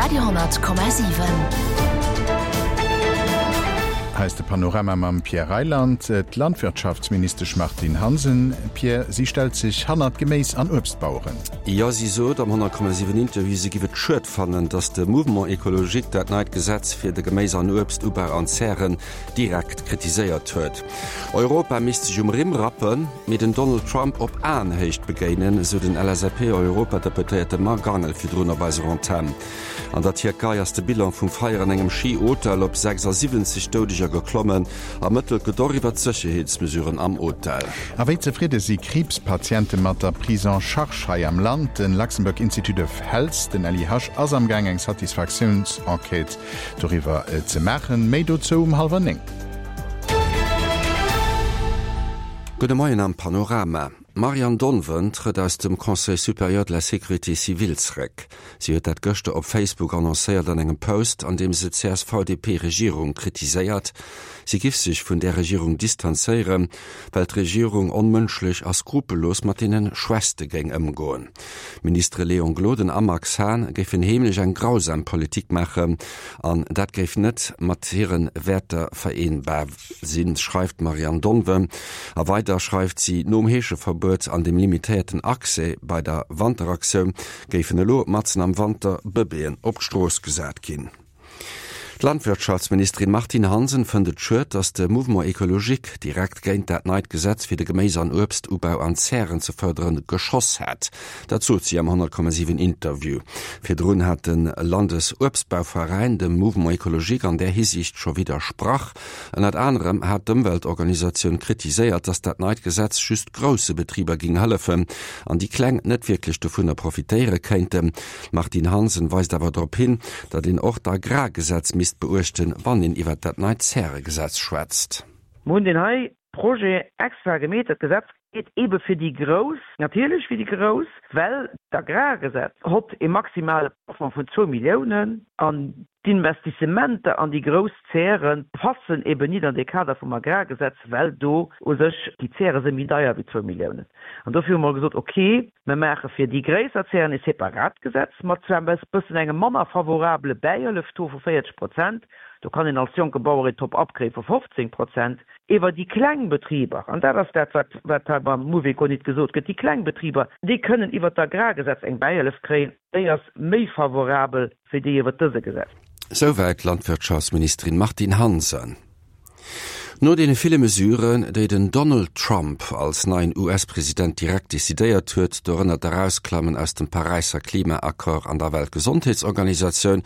Radio 10,7. Hei ass de Panorama mam Pierre Reyland. D'Landwirtschaftsministesch Martine Hansen, Pierre, si stellt sech hannert d'Geméis an Uebstbaueren. Jo, si sot am 100,7 Interview, si giff et schued fannen, datt de Mouvement Ecologique dat neit Gesetz fir de Geméis an Uebstubau an Zären direkt kritiséiert huet. Europa misst sech um Rimm rappen, mee den Donald Trump op Aenhéicht begéinen, esou den LSAP-Europadeputéierte Marc Angel virdrun op eiser Antenn. An der Tierkei ass de Bilan vum Feier an engem Schi-Hotel op 76 Doudeger geklommen. Ermëttelt gëtt och iwwer d'Sécherheetsmesuren am Hotel. A wéi zefridde si Kriibspatiente mat der Prise en charge hei am Land? De Luxembourg Institute of Health, den LIH, ass am Gaang eng Satisfaktiounsenquête doriwwer ze maachen. Méi dozou um hallwer 9. Gudde Moien am Panorama. D'Marianne Donven trëtt aus dem Conseil supérieur de la sécurité civile zeréck. Si huet dat gëschter op Facebook annoncéiert an engem Post, an deem se d'CSV-DP-Regierung kritiséiert. Si giff sech vun där Regierung distanzéieren, well d'Regierung onmënschlech a skrupellos mat deene Schwächste géing ëmgoen. D'Ministere Léon Gloden a Max Hahn géifen heemlech eng grausam Politik maachen an dat géif net mat hire Wäerter vereenbar sinn, schreift d'Marianne Donven. A weider schreift si, nom Heescheverbuet an dem limitéierten Accès bei der Wanteraktioun géifen elo matzen am Wanter Bëbeeën op d'Strooss gesat ginn. D'Landwirtschaftsministerin Martine Hansen fënnt et schued, datt de Mouvement Ecologique direkt géint dat neit Gesetz fir de Geméis an Uebstubau an Zären ze fërderen geschoss hätt. Dat sot si am 100,7 Interview. Virdrun hat de Landesuebstbauveräin dem Mouvement Ecologique an där Hisiicht scho widdersprach. Ënnert anerem hat d'Ëmweltorganisatioun kritiséiert, datt dat neit Gesetz just grousse Betriber géing hëllefen an déi kleng net wierklech dovunner profitéiere kéinten. D'Martine Hansen weist awer drop hin, datt een och d'Agrargesetz misst beuechten, wann een iwwert dat neit Zäregesetz schwätzt. Mer hunn deen hei Projet extra gemeet. Dat Gesetz geet eebe fir déi Grouss, natierlech fir déi Grouss, well d'Agrargesetz hott e maximale Plafond vun zwou Milliounen an d'Investissementer an déi grouss Zäre passen eeben nit an dee Kader vum Agrargesetz, well do u sech déi Zäre si méi deier wéi zwou Milliounen. An dofir hu mer gesot, okay, Mer maache fir déi gréisser Zären e separat Gesetz, mat zwar e bëssen engem manner favorabele Bäihëllef-Taux vu 40 Prozent, do kann een als jonke Bauer een Top-up kréie vu 15 Prozent, ewer déi kleng Betriber, an dat ass dat, wat wat hei beim Mouveco nit gesot gëtt, déi kleng Betriber, déi kënnen iwwert d'Agrargesetz eng Bäihëllef kréien, déi ass méi favorabel wéi déi iwwert dëse Gesetz. Souwäit d'Landwirtschaftsministerin Martine Hansen. No deene ville Mesuren, déi den Donald Trump als neien US-President direkt decidéiert huet, dorënner d'Erausklammen aus dem Paräisser Klimaaccord an der Weltgesondheetsorganisatioun,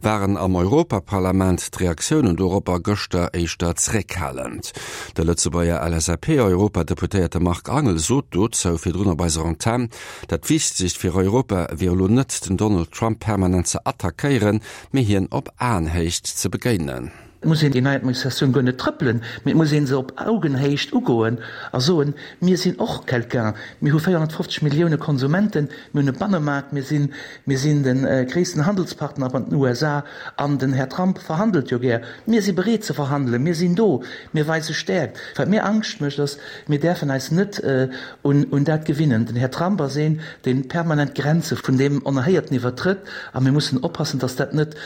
waren am Europaparlament d'Reaktiounen doropper gëschter éischter zeréckhalend. De Lëtzebuerger LSAP-Europadeputéierte Marc Angel sot dozou virdrun op eiser Antenn, dat Wichtegst fir Europa wier elo net, den Donald Trump permanent ze attackéieren, mee hien op Aenhéicht ze begéinen. Et muss een déi nei Administratioun guer net trëppelen, mee et muss ee se op Augenhéicht ugoen a soen, Mir sinn och quelqu'un, mir hu 450 Millioune Konsumenten, mir hunn e Bannemaart, mir sinn, mir sinn de gréissten Handelspartner mat den USA an den Här Trump verhandelt jo gär. Mir si bereet ze verhandelen, mir sinn do, mir weise Stäerkt. Wat mir Angscht mécht, ass, mir däerfen eis net un dat gewinnen. Den Här Trump ass een, dee permanent d'Grenze vun deem Onerhéierten iwwertrëtt a mir mussen oppassen, datt dat net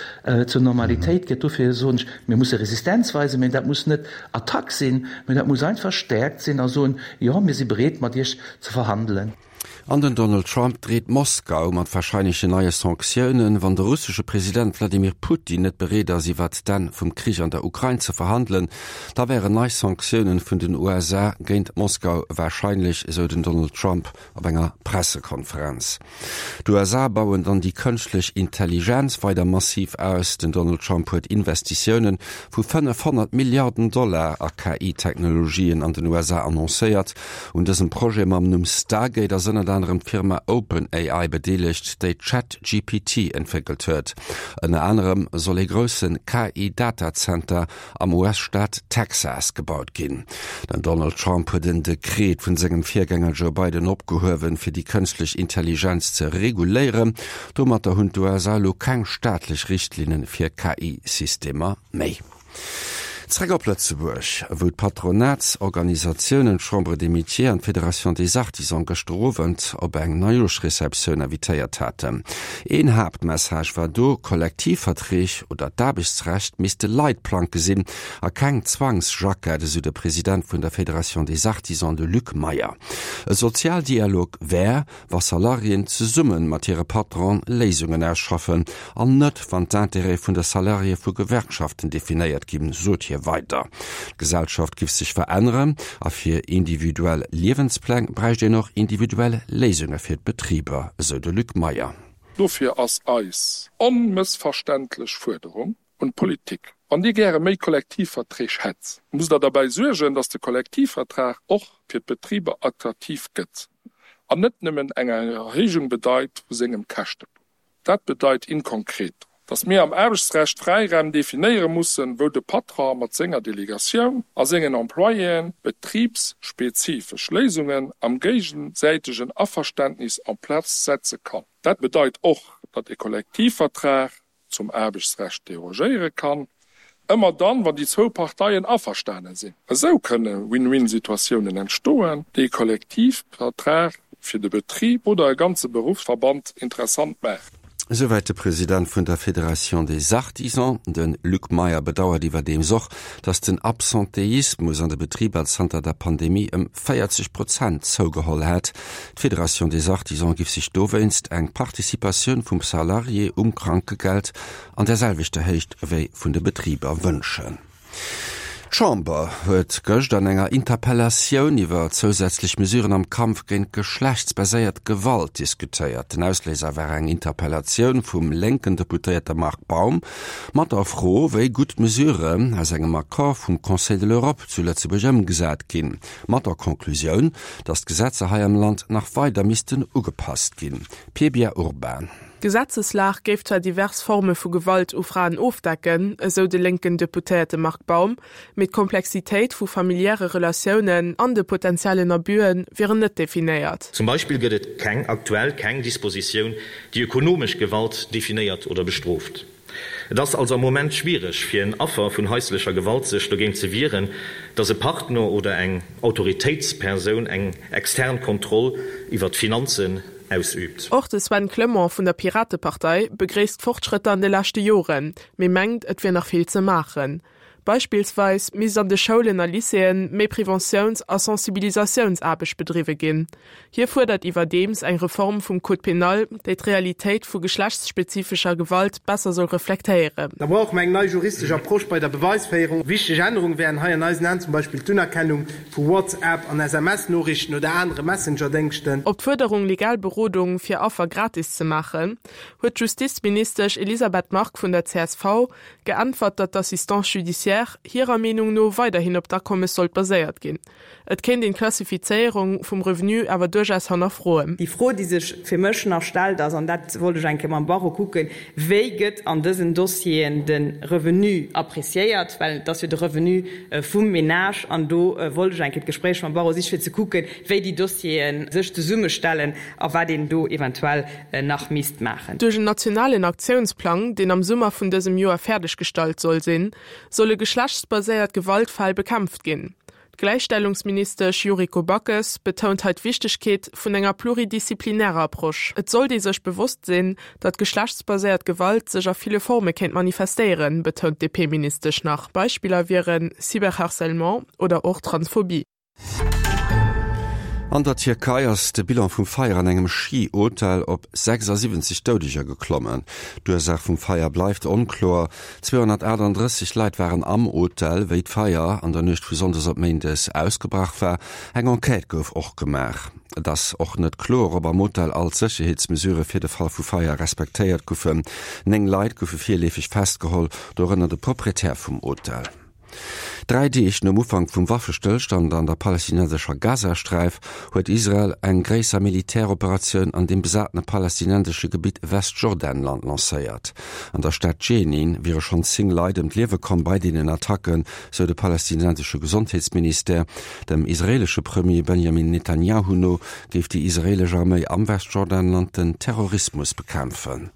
zur Normalitéit gëtt. Dofir soen ech, mir musse Resistenz weisen, mä dat muss net Attack sinn, mä dat muss einfach Stäerkt sinn a soen, jo, mir si bereet mat Iech ze verhandelen. An den Donald Trump dreet Moskau mat warscheinlechen neie Sanktiounen. Wann de russesche President Wladimir Putin net bereet ass iwwert d'Enn vum Krich an der Ukrain ze verhandelen, da wären nei Sanktiounen vun den USA géint Moskau warscheinlech, esou den Donald Trump op enger Pressekonferenz. D'USA bauen dann déi kënschtlech Intelligenz weider massiv aus. Den Donald Trump huet Investitioune vu 500 Milliarden Dollar a KI-Technologien an den USA annoncéiert. Un dësem Projet mam Numm Stargate ass ënnert anerem d'Firma OpenAI bedeelegt, déi ChatGPT entwéckelt huet. Ënner anerem soll ee grousse KI-Datazenter am US-Staat Texas gebaut ginn. Den Donald Trump huet en Dekret vun sengem Virgänger Joe Biden opgehuewen, fir déi kënschtlech Intelligenz ze reguléieren. Domatter hunn d'USA elo keng staatlech Richtlinne fir KI-Systemer méi. Zréck op Lëtzebuerg, wou d'Patronatsorganisatiounen d'Chambre des Métiers an d'Fédération des Artisans gëschter Owend op eng Neijooschreceptioun invitéiert haten. Een Haaptmessage war do, Kollektivverträg oder d'Aarbechtsrecht misste Leitplanke sinn a keng Zwangsjackett, esou de President vun der Fédération des Artisans, de Luc Meyer. E Sozialdialog wär, wa Salariéen zesumme mat hire Patronen Léisungen ausschaffen an net wann d'Intérêtë vun de Salariéë vu Gewerkschaften definéiert ginn, sot hie weider. D'Gesellschaft giff sech veränneren a fir individuell Liewenspläng bräicht een och individuell Léisunge fir d'Betriber, esou de Luc Meyer. Dofir ass eis onmëssverständlech Fuerderung un d'Politik, Wann Dir gäre méi Kollektivverträg hätt, musst Der derbäi suergen, datt de Kollektivvertrag och fir d'Betriber attraktiv gëtt an net nëmmen eng Erhéijung bedeit vu sengem Käschtepunkt. Dat bedeit in concreto, datt mir am Aarbechtsrecht Fräiräim definéiere mussen, wou de Patron mat senger Delegatioun a sengen Employéen betribsspezifesch Léisungen am géigesäitegen Averständnis en place setze kann. Dat bedeit och, datt e Kollektivvertrag zum Aarbechtsrecht derogéiere kann, ëmmer dann, wann déi zwou Parteien averstane sinn. Esou kënne Win-win-Situatiounen entstoen, déi e Kollektivvertrag fir de Betrib oder e ganze Beruffsverband interessant maachen. Esouwäit de President vun der Fédération des Artisans. De Luc Meyer bedauert iwwerdeems och, datt den Absenteismus an de Betriber zanter der Pandemie ëm 40 Prozent zougeholl hätt. D'Fédération des Artisans giff sech dowéinst eng Participatioun vum Salarié um Krankegeld an der selwechter Héicht ewéi vun de Betriber wënschen. D'Chamber huet gëscht an enger Interpellatioun iwwer zousätzlech Mesuren am Kampf géint geschlechtsbaséiert Gewalt diskutéiert. Den Ausléiser war eng Interpellatioun vum lénken Deputéierte Marc Baum mat der Fro, wéi gutt d'Mesuren aus engem Accord vum Conseil de l'Europe zu Lëtzebuerg ëmgesat ginn. Mat der Conclusioun, datt d'Gesetzer hei am Land nach weider missten ugepasst ginn. Pia Urban. D'Gesetzeslag géif zwar divers Forme vu Gewalt u Fraen ofdecken, esou de lénken Deputéierte Marc Baum, mee d'Komplexitéit vu familiäre Relatiounen an de potentiellen Abüe wieren net definéiert. Zum Beispill gëtt et keng aktuell keng Dispositioun, déi ökonomesch Gewalt definéiert oder bestrooft. Et ass also am Moment schwiereg fir en Affer vun haislecher Gewalt sech dogéint ze wieren, dass e Partner oder eng Autoritéitspersoun eng extern Kontroll iwwer d'Finanzen ausüübt. Och de Sven Clement vun der Piratepartei begréisst d'Fortschrëtter an de leschte Joren, mee mengt, et wier nach vill ze maachen. Beispillsweis misst an de Schoulen a Lycéeën méi Preventiouns a Sensibilisatiounsaarbecht bedriwwe ginn. Hie fuerdert iwwerdeems eng Reform vum Code pénal, déi d'Realitéit vu geschlechtsspezifescher Gewalt besser soll reflektéieren. Da brauche mer eng nei juristesch Approche bei der Beweisféierung. Wichteg Ännerunge wären hei an eisen Aen zum Beispill d'Unerkennung vu WhatsApp an SMS-Noriichten oder anere Messengerdéngschten. Op d'Fuerderung, legal Berodung fir Affer gratis ze maachen, huet d'Justizministesch Elisabeth Margue vun der csv geäntwert, datt d'Assistance judiciaire hirer Meenung no weiderhin op d'Akommes sollt baséiert ginn. Et kéint een d'Klassifizéierung vum Revenu awer duerchaus hannerfroen. Déi Fro, déi sech fir mech nach stellt, ass, an dat wollt ech eng Kéier mam Barreau kucken, Wéi gëtt an dësen Dossieren de Revenu appréciéiert? Well et ass jo de Revenu vum Ménage. An do wollt ech eng Kéier d'Gespréich mam Barreau sichen, fir ze kucken, wéi déi Dossiere sech zesummestellen a wat een do eventuell nach misst maachen. Duerch en nationalen Aktiounsplang, deen am Summer vun dësem Joer fäerdeg gestallt soll sinn, solle geschlechtsbaséiert Gewaltfäll bekämpft ginn. D'Gläichstellungsministesch Yuriko Backes betount hei d'Wichtegkeet vun enger pluridisziplinärer Approche. Et sollt ee sech bewosst sinn, datt geschlechtsbaséiert Gewalt sech a ville Forme kéint manifestéieren, betount d'DP-Ministesch nach. Beispiller wieren Cyberharcèlement oder och Transphobie. An der Tierkei ass de Bilan vum Feier an engem Schi-Hotel op 76 Doudeger geklommen. D'Ursaach vum Feier bleift onkloer. 238 Leit waren am Hotel, wéi d'Feier an der Nuecht vu Sonndes op Méindes ausgebrach war. Eng Enquête gouf och gemaach. Et ass och net kloer, ob am Hotel all d'Sécherheetsmesurë fir de Fall vu Feier respektéiert goufen. 9 Leit goufe virleefeg festgeholl, dorënner de Proprietär vum Hotel. Dräi Deeg nom Ufank vum Waffestëllstand an der palästinensescher Gazasträif huet Israel eng gréisser Militäroperatioun an deem besatene palästinensesche Gebitt Westjordanland lancéiert. An der Stad Dschenin wiere schonn 10 Leit ëm d'Liewe komm bei deenen Attacken, sou de palästinensesche Gesondheetsministère. Dem israeelesche Premier Benjamin Netanjahu no géif déi israeelesch Arméi am Westjordanland den Terrorismus bekämpfen.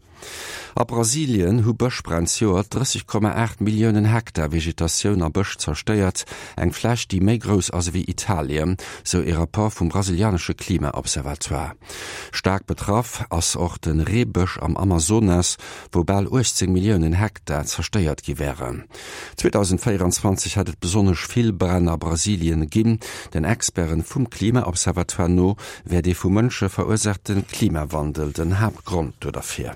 A Brasilien hu Bëschbränn zejoert 30,8 Milliounen Hektar Vegetatioun a Bësch zerstéiert, eng Fläch, déi méi grouss ass ewéi Italien, sou ee Rapport vum brasilianesche Klima-Observatoire. Staark betraff ass och de Reebësch am Amazonas, wou bal 18 Milliounen Hektar zerstéiert gi wären. 2024 hätt et besonnesch vill Bränn a Brasilien ginn. Den Experten vum Klima-Observatoire no wär dee vu Mënsche verursaachte Klimawandel den Haaptgrond do derfir.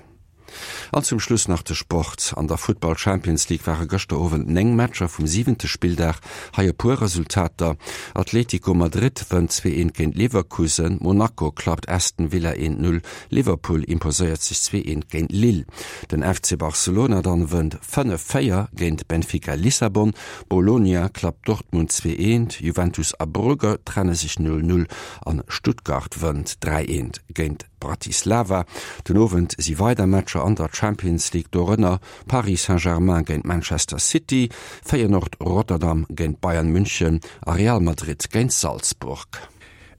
An zum Schluss nach de Sport. An der Futtball Champions League ware gëschter Owend 9 Matcher vum siwente Spilldag. Hei e puer Resultater, Atlético Madrid wënnt 2 eent géint Leverkusen, Monaco klappt Aston Villa 1 0, Liverpool imposéiert sech 2 eent géint Lille. Den FC Barcelona dann wënnt 5 4 géint Benfica Lissabon, Bologna klappt Dortmund 2 eent, Juventus a Brugge trenne sech 0 0 an Stuttgart wënnt 3 eent géint Bratislava. Den Owend si weider Matcher an der Champions League, dorënner Paris Saint-Germain géint Manchester City, Feyenoord Rotterdam géint Bayern München a Real Madrid géint Salzburg.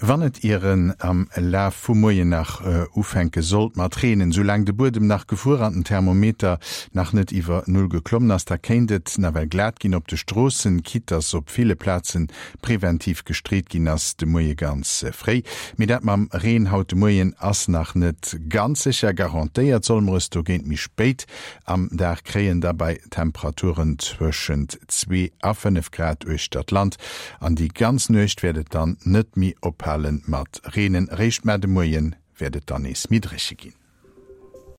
Wann et ieren am Laf vum Moien nach ufänke sollt mat reenen, soulaang de Buedem nach gefruer an den Thermometer nach net iwwer Null geklommen ass, da kéint et nawell glat ginn op de Stroossen, quitte dass op ville Plaze preventiv gestreet ginn ass de Moie ganz fréi. Mee dat mam Reen haut de Moien ass nach net ganz sécher. Garantéiert solle mer es dogéint méi spéit am Dag kréien, da bei Temperaturen zwëschent 2 a 5 Grad uechter d'Land. An déi ganz Nuecht wäert et dann net méi ophale mat reenen, eréischt mar de Moie wäert et dann nees méi dréche ginn.